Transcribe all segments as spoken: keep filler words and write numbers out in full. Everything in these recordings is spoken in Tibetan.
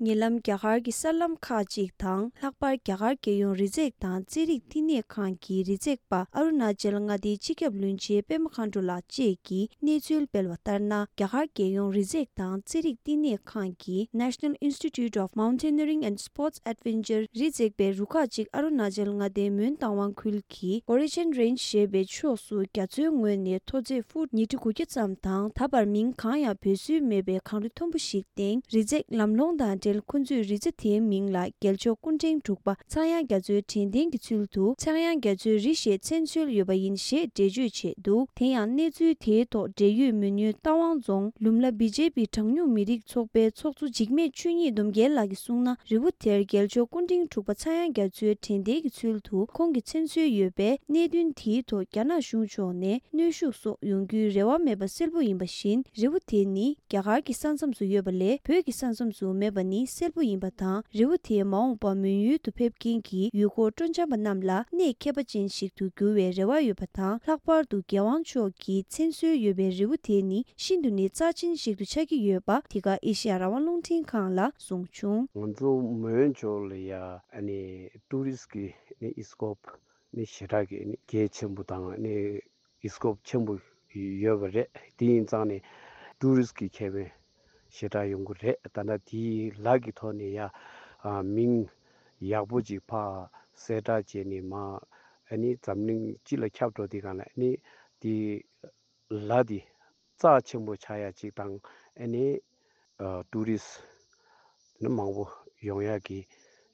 ཉེ་ལམ་རྒྱ་གར་གྱི་གསར་ལམ་ཁག་ཅིག་དང་། ལྷག་པར་རྒྱ་གར་རྒྱལ་ཡོངས་རི་འཛེག་དང་རྩེད་རིགས་བསྟི་གནས་ཁང་གི་རི་འཛེག་པ་ཨ་རུ་ན་ཅལ་མངའ་སྡེའི་སྤྱི་ཁྱབ་བློན་ཆེན་པད་མ་མཁའ་འགྲོ་ལགས་བཅས་ཀྱིས་གནས་ཚུལ་སྤེལ་བ་ལྟར་ན། རྒྱ་གར་རྒྱལ་ཡོངས་རི་འཛེག་དང་རྩེད་རིགས་བསྟི་གནས་ཁང་གི་National Institute of Mountaineering and Sports Adventure རི་འཛེག་པའི་རུ་ཁག་ཅིག་ཨ་རུ་ན་ཅལ་མངའ་སྡེའི་མོན་རྟ་དབང་ཁུལ་གྱི་Origin Range ཞེས་པའི་ཕྱོགས་སུ་རྒྱ་མཚོའི་ངོས་ནས་མཐོ་ཚད་ཧྥུཊ་ཉིས་ཁྲི་དགུ་བརྒྱ་ཙམ་དང་། ད་བར་མིང་གང་ཡང་འབོད་སྲོལ་མེད་པའི་གངས་རི་མཐོན་པོ་ཞིག་སྟེང་རི་འཛེག་ལམ་ལྷོང་དང་འབྲེལ། ཁོ་ཚོས་རི་རྩེ་དེའི་མིང་ལ་རྒྱལ་མཆོག་སྐུ་ཕྲེང་དྲུག་པ་ཚངས་དབྱངས་རྒྱ་མཚོའི་དྲན་རྟེན་གྱི་ཚུལ་དུ་ཚངས་དབྱངས་རྒྱ་མཚོའི་རི་ཞེས་མཚན་གསོལ་ཡོད་པ་ཡིན་ཞེས་འགྲེལ་བརྗོད་བྱས་འདུག་དེ་ཡང་གནས་ཚུལ་དེའི་ཐོག་འབྲེལ་ཡོད་མོན་ཡུལ་རྟ་དབང་རྫོང་ལུམ་ལ་བི་ཇེ་པི་གྲངས་ཉུང་མི་རིགས་ཚོགས་པའི་ཚོགས་གཙོ་འཇིགས་མེད་ཆོས་ཉིད་སྡོམ་རྒྱལ་ལགས་ཀྱིས་གསུངས་ན། རི་བོ་དེར་རྒྱལ་མཆོག་སྐུ་ཕྲེང་དྲུག་པ་ཚངས་དབྱངས་རྒྱ་མཚོའི་དྲན་རྟེན་གྱི་ཚུལ་དུ་ཁོང་གི་མཚན་གསོལ་ཡོད་པས། གནད་དོན་དེའི་ཐོག་རྒྱ་ནག་གཞུང་ཕྱོགས་ནས་གནོན་ཤུགས་སོགས་ཡོང་རྒྱུའི་རེ་བ་མེད་པ་གསལ་པོ་ཡིན་པ་བཞིན། རི་བོ་དེ་ནི་རྒྱ་གར་གྱི་ས་མཚམས་སུ་ཡོད་པ་ལས་བོད་ཀྱི་ས་མཚམས་སུ་མེད་པ་ནི་གསལ་པོ་ཡིན་པ་དང་། རི་བོ་དེས་མ་འོངས་པར་མོན་ཡུལ་དུ་ཕེབས་མཁན་གྱི་ཡུལ་སྐོར་སྤྲོ་འཆམ་པ་རྣམས་ལ་གནས་ཁྱད་པར་ཅན་ཞིག་ཏུ་འགྱུར་བའི་རེ་བ་ཡོད་པ་དང་། ལྷག་པར་དུ་རྒྱལ་དབང་མཆོག་གི་མཚན་གསོལ་ཡོད་པའི་རི་བོ་དེ་ནི་ཤིན་ཏུ་ནས་རྩ་ཆེན་ཞིག་ཏུ་ཆགས་ཀྱི་ཡོད་པ་འདི་ག་ཨེ་ཤེ་ཡ་རང་དབང་རླུང་འཕྲིན་ཁང་ལ་གསུངས་བྱུང་། ང་ཚོ་མོན་ཕྱོགས་ལ་ཡ་ཨ་ནི་ཊུ་རི་སི་ཊི་གི་ནི་ཨི་སི་ཀོབ་ནི་ཞེ་དྲག་གི་ནི་གལ་ཆེན་པོ་དང་ནི་ཨི་སི་ཀོབ་ཆེན་པོ་ཡོད་པ་རེད། དེ་ཡིན་ཙང་ནི་ཊུ་རི་སི་ཊི་གི་ཁེ་ཕན་ཞེ་དྲག་ཡོང་གི་རེད། ད་ལྟ་དེའི་ལ་གི་ཐོག་ནས་ཡ་ཨ་མིང་ཡག་པོ་ཅིག་ཕར་གསལ་བསྒྲགས་བྱས་ནས་མ་ཨ་ནི་འཛམ་གླིང་སྤྱི་ལ་ཁྱབ་འགྲོ་དུས་སྒང་ལ་ནི་དེ་ལ་དེ་རྩ་ཆེན་པོ་ཆགས་ཡ་ཅིག་དང་། ཨ་ནི་ཨ་ཊུ་རི་སི་ཊི་ནི་མང་པོ་ཡོང་ཡ་གི་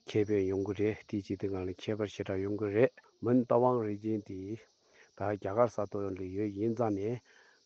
ཁེ་ཕན་ཡོང་གི་རེད། དེ་ཅིག་དེ་སྒང་ལ་ཁྱད་པར་ཞེ་དྲག་ཡོང་གི་རེད། མོན་རྟ་དབང་རི་རྒྱན་དེ་ད་རྒྱ་གར་ས་ཐོག་ལ་ཡོད་ཡིན་ཙང་ནས།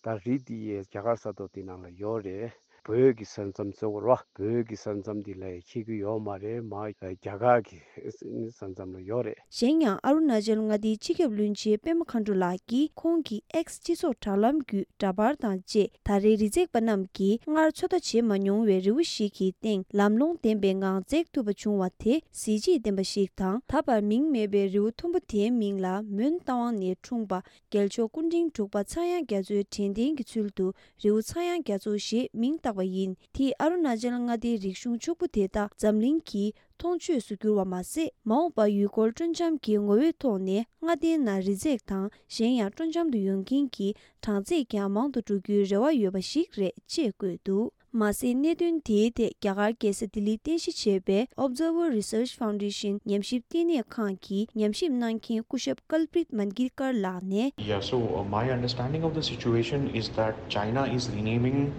ད་རི་དེ་ཡས་རྒྱ་གར་ས་ཐོག་དེ་ནང་ལ་ཡོད་རེད། བོད་ཀྱི་ས་མཚམས་ཟེར་དགོས་རེད་བ། བོད་ཀྱི་ས་མཚམས་འདི་ལ་འཁེལ་གྱི་ཡོད་མ་རེད། མ་རྒྱ་གར་གྱི་ས་མཚམས་ལ་ཡོད་རེད། གཞན་ཡང་ཨ་རུ་ན་ཅལ་མངའ་སྡེའི་སྤྱི་ཁྱབ་བློན་ཆེན་པད་མ་མཁའ་འགྲོ་ལགས་ཀྱིས་ཁོང་གི་ཨེགས་སྤྱི་ཚོགས་དྲ་ལམ་བརྒྱུད་འདྲ་པར་དང་བཅས། ད་རེས་རི་འཛེག་པ་རྣམས་ཀྱིས་སྔར་ཚོད་ལྟ་བྱེད་མ་མྱོང་བའི་རི་བོ་ཞིག་གི་སྟེང་ལམ་ལྷོང་ལྡན་པའི་ངང་འཛེག་ཐུབ་པ་བྱུང་བ་དེ་གཟི་བརྗིད་ལྡན་པ་ཞིག་དང་། ད་བར་མིང་མེད་པའི་རི་བོ་མཐོན་པོ་དེའི་མིང་ལ་མོན་རྟ་དབང་ནས་འཁྲུངས་པ་རྒྱལ་མཆོག་སྐུ་ཕྲེང་དྲུག་པ་ཚངས་དབྱངས་རྒྱ་མཚོའི་དྲན་རྟེན་གྱི་ཚུལ་དུ་རི་བོ་ཚངས་དབྱངས་རྒྱ་མཚོ་ཞེས་མིང་བཏགས་པ་ཡིན། དེས་ཨ་རུ་ན་ཅལ་མངའ་སྡེའི་རིག་གཞུང་ཕྱུག་པོ་དེ་དག་འཛམ་གླིང་གི་མཐོང་ཆོས་སུ་གྱུར་བ་མ་ཟད། མ་འོངས་པར་ཡུལ་སྐོར་སྤྲོ་འཆམ་གྱི་ངོ་བོའི་ཐོག་ནས་མངའ་སྡེའི་ནང་རི་འཛེག་དང་གཞན་ཡང་སྤྲོ་འཆམ་དུ་ཡོང་མཁན་གྱི་གྲངས་ཚད་ཀྱང་མང་དུ་འགྲོ་རྒྱུའི་རེ་བ་ཡོད་པ་ཞིག་རེད་ཅེས་བཀོད་འདུག་མ་ཟད། གནད་དོན་དེའི་ཐད་རྒྱ་གར་རྒྱལ་ས་ལྡི་ལིར་རྟེན་གཞི་བྱས་པའི་Observer Research Foundation ཉམས་ཞིབ་ལྟེ་གནས་ཁང་གི་ཉམས་ཞིབ་གནང་མཁན་སྐུ་ཞབས་Kalpit Mangalkar ལགས་ནས། Yeah, so uh, my understanding of the situation is that China is renaming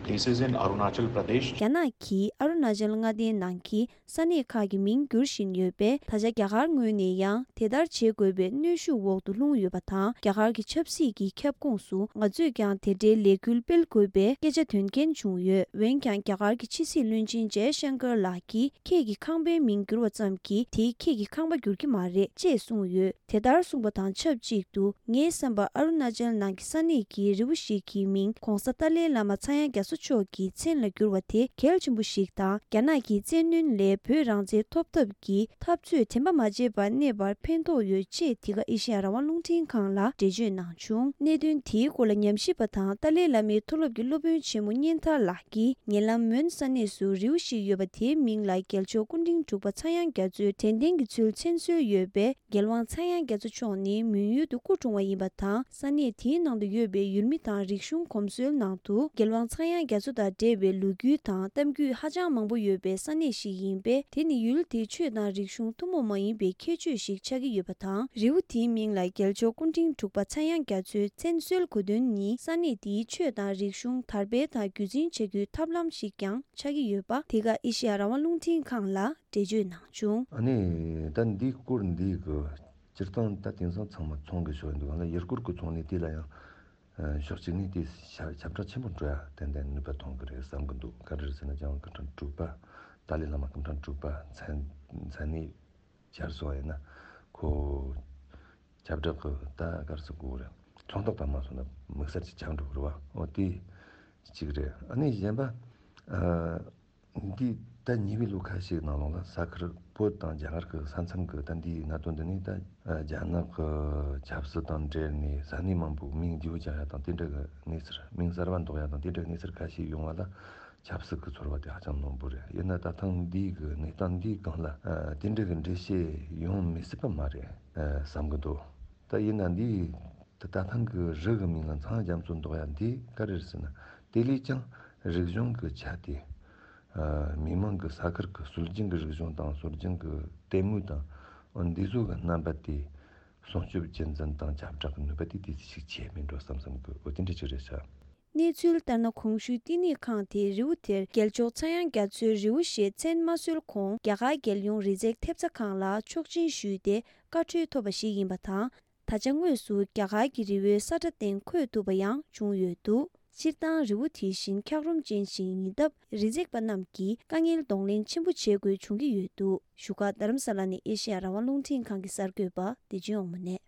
places in Arunachal Pradesh. རྒྱ་ནག་གིས་ཨ་རུ་ན་ཅལ་མངའ་སྡེའི་ནང་གི་ས་གནས་ཁག་གི་མིང་བསྒྱུར་བཞིན་ཡོད་པས། ད་ཆ་རྒྱ་གར་ངོས་ནས་ཡང་དེ་ལྟར་བྱེད་དགོས་པའི་གནོན་ཤུགས་འོག་ཏུ་ལྷུང་ཡོད་པ་དང་། རྒྱ་གར་གྱི་ཆབ་སྲིད་ཀྱི་ཁྱབ་ཁོངས་སུ་ང་ཚོས་ཀྱང་དེ་འདྲའི་ལས་འགུལ་སྤེལ་དགོས་པའི་སྐད་ཆ་འདོན་མཁན་བྱུང་ཡོད། འོན་ཀྱང་རྒྱ་གར་གྱི་ཕྱི་སྲིད་བློན་ཆེན་ཇའི་ཤང་ཀར་ལགས་ཀྱིས། ཁྱེད་ཀྱི་ཁང་པའི་མིང་བསྒྱུར་བ་ཙམ་གྱིས་དེས་ཁྱེད་ཀྱི་ཁང་པ་འགྱུར་གྱི་མ་རེད་ཅེས་གསུངས་ཡོད། དེ་ལྟར་གསུངས་པ་དང་ཆབས་ཅིག་ཏུ། ངའི་བསམ་པར་ཨ་རུ་ན་ཅལ་ནང་གི་ས་གནས་ཀྱི་རི་བོ་ཞིག་གི་མིང་༧གོང་ས་ཏཱ་ལའི་བླ་མ་ཚངས་དབྱངས་རྒྱ་མཚོ་མཆོག་གི་མཚན་ལ་བསྒྱུར་བ་དེ་གལ་ཆེན་པོ་ཞིག་དང་། རྒྱ་ནག་གི་བཙན་གནོན་ལས་བོད་རང་བཙན་ཐོབ་ཐབས་ཀྱི་འཐབ་རྩོད་དྲན་པ་མ་བརྗེད་པར་གནས་པར་ཕན་ཐོགས་ཡོད་ཅེས་འདི་ག་ཨེ་ཤེ་ཡ་རང་དབང་རླུང་འཕྲིན་ཁང་ལ་འགྲེལ་བརྗོད་གནང་བྱུང་། གནད་དོན་དེའི་སྐོར་ལ་ཉམས་ཞིབ་པ་དང་ཏཱ་ལའི་བླ་མའི་མཐོ་སློབ་ཀྱི་སློབ་དཔོན་ཆེན་མོ་གཉན་ཐར་ལགས་ཀྱིས། ཉེ་ལམ་མོན་ས་གནས་སུ་རི་བོ་ཞིག་ཡོད་པ་དེའི་མིང་ལ་རྒྱལ་མཆོག་སྐུ་ཕྲེང་དྲུག་པ་ཚངས་དབྱངས་རྒྱ་མཚོའི་དྲན་རྟེན་གྱི་ཚུལ་མཚན་གསོལ་ཡོད་པས། རྒྱལ་དབང་ཚངས་དབྱངས་རྒྱ་མཚོ་མཆོག་ནི་མོན་ཡུལ་དུ་སྐུ་འཁྲུངས་པ་ཡིན་པ་དང་། ས་གནས་དེའི་ནང་དུ་ཡོད་པའི་ཡུལ་མི་དང་རིག་གཞུང་གོམས་སྲོལ་ནང་དུ། རྒྱལ་དབང་ཚངས་དབྱངས་རྒྱ་མཚོ་དང་འབྲེལ་བའི་ལོ་རྒྱུས་དང་གཏམ་རྒྱུད་ཧ་ཅང་མང་པོ་ཡོད་པའི་ས་གནས་ཤིག་ཡིན་པས། དེ་ནི་ཡུལ་དེའི་ཆོས་དང་རིག་གཞུང་ཐུན་མོང་མ་ཡིན་པའི་ཁྱད་ཆོས་ཤིག་ཆགས་ཀྱི་ཡོད་པ་དང་། རི་བོ་དེའི་མིང་ལ་རྒྱལ་མཆོག་སྐུ་ཕྲེང་དྲུག་པ་ཚངས་དབྱངས་རྒྱ་མཚོའི་མཚན་གསོལ་དགོས་དོན་ནི། ས་གནས་དེའི་ཆོས་དང་རིག་གཞུང་དར་སྤེལ་དང་རྒྱུད་འཛིན་བྱ་རྒྱུའི་ཐབས་ལམ་ཞིག་ཀྱང་ཆགས་ཀྱི་ཡོད་པ། འདི་ག་ཨེ་ཤེ་ཡ་རང་དབང་རླུང་འཕྲིན་ཁང་ལ་འགྲེལ་བརྗོད་གནང་བྱུང་། ཨ་ནི་ད་འདིའི་སྐོར་འདི་གི་སྤྱིར་བཏང་ད་དེང་སང་ཚང་མ་ཚོང་གི་ཕྱོགས་འདུག་ཨ་ནི་ཡུལ་སྐོར་གི་ཚོང་ལས་དེ་ལ་ཡང་ཕྱོགས་གཅིག་ནས་དེ་ཁྱབ་བསྒྲགས་ཆེན་པོ་འགྲོ་ཡ་ཏན་ཏན་ནུས་པ་ཐོན་གི་རེད་བསམ་གི་འདུག་ག་རེ་རེད་ཟེར་ན་རྒྱལ་དབང་སྐུ་ཕྲེང་དྲུག་པ་ཏཱ་ལའི་བླ་མ་སྐུ་ཕྲེང་དྲུག་པ་མཚན་མཚན་གནས་སྦྱར་སོང་བ་ཡིན་ན་ཁོ་ཁྱབ་བསྒྲགས་གི་ད་ག་རེ་ཟེར་དགོས་རེད། ཚོང་རྟགས་དང་མ་སོང་ན་དམིགས་བསལ་གྱི་ཆགས་འགྲོ་གི་རེད་བ། འོ་དེ་གཅིག་རེད། ཨ་ནི་གཞན་པ་ཨ་འདི་ད་ཉེ་བའི་ལོ་ཁ་ཤས་ནང་ལོགས་ལ་ས་ཁུལ་བོད་དང་རྒྱ་གར་གི་ས་མཚམས་གི་ད་འདིའི་གནད་དོན་འདི་ནི་ད་རྒྱ་ནག་གི་ཆབ་སྲིད་དང་འབྲེལ་ནས་ས་གནས་མང་པོའི་མིང་བརྗེ་པོ་རྒྱག་ཡ་དང་དེ་འདྲ་གི་གནས་ཚུལ། མིང་གསར་བ་འདོགས་ཡ་དང་དེ་འདྲ་གི་གནས་ཚུལ་ཁ་ཤས་ཡོང་བ་ལ། ཆབ་སྲིད་ཀྱི་ཚོར་བ་དེ་ཧ་ཅང་རྣོན་པོ་རེད། ཡིན་ན་ད་ཐེངས་འདིའི་གི་གནས་སྟངས་འདིའི་སྒང་ལ་ཨ་དེ་འདྲ་གི་འགྲེལ་བཤད་ཡོང་མི་སྲིད་པ་མ་རེད་ཨ་བསམ་གི་འདུག་ད་ཡིན་ན་འདི་ད་ད་ཐེངས་གི་རི་གི་མིང་ལ་མཚང་རྒྱ་མཚོ་འདོགས་ཡ་འདི་ག་རེ་རེད་ཟེར་ན། དེ་ལས་ཀྱང་རིག་གཞུང་གི་ཆ་དེ་ཨ་མི་མང་གི་ས་ཁུལ་གི་སྲོལ་རྒྱུན་གི་རིག་གཞུང་དང་སྲོལ་རྒྱུན་གི་ལྟད་མོ་དང་འདི་ཚོ་གི་རྣམ་པ་དེ་སྲུང་སྐྱོབ་རྒྱུན་འཛིན་དང་ཁྱབ་བསྒྲགས་ཀྱི་ནུས་པ་དེ་དེ་ཅིག་ཆེ་མིན་འགྲོ་བསམ་བསམ་གི་འོ་དེ་འདྲ་ཅིག་རེད་ཤག་གནས་ཚུལ་ལྟར་ན། གོང་ཞུས་བསྟི་གནས་ཁང་དེ་རི་བོ་དེར་རྒྱལ་མཆོག་ཚངས་དབྱངས་རྒྱ་མཚོའི་རི་བོ་ཞེས་མཚན་མ་གསོལ་གོང་རྒྱ་གར་རྒྱལ་ཡོངས་རི་འཛེག་ཐེབས་རྩ་ཁང་ལ་ཆོག་མཆན་ཞུས་ཏེ་བཀའ་འཁྲོལ་ཐོབ་པ་ཞིག་ཡིན་པ་དང་། ད་ཆ་དངོས་སུ་རྒྱ་གར་གྱི་རི་བོའི་ས་ཁྲ་སྟེང་འཁོད་ཐུབ་པ་ཡང་བྱུང་ཡོད་འདུག་སྤྱིར་བཏང་རི་བོ་དེ་བཞིན་འཁྱགས་རོམ་ཅན་ཞིག་ཡིན་སྟབས། རི་འཛེག་པ་རྣམས་ཀྱིས་དཀའ་ངལ་གདོང་ལེན་ཆེན་པོ་བྱེད་དགོས་བྱུང་གི་ཡོད་འདུག་བཞུགས་སྒར་རྡ་རམ་ས་ལ་ནས་ཨེ་ཤེ་ཡ་རང་དབང་རླུང་འཕྲིན་ཁང་གི་གསར་འགོད་པ་བདེ་ཆེན་དབང་མོ་ནས།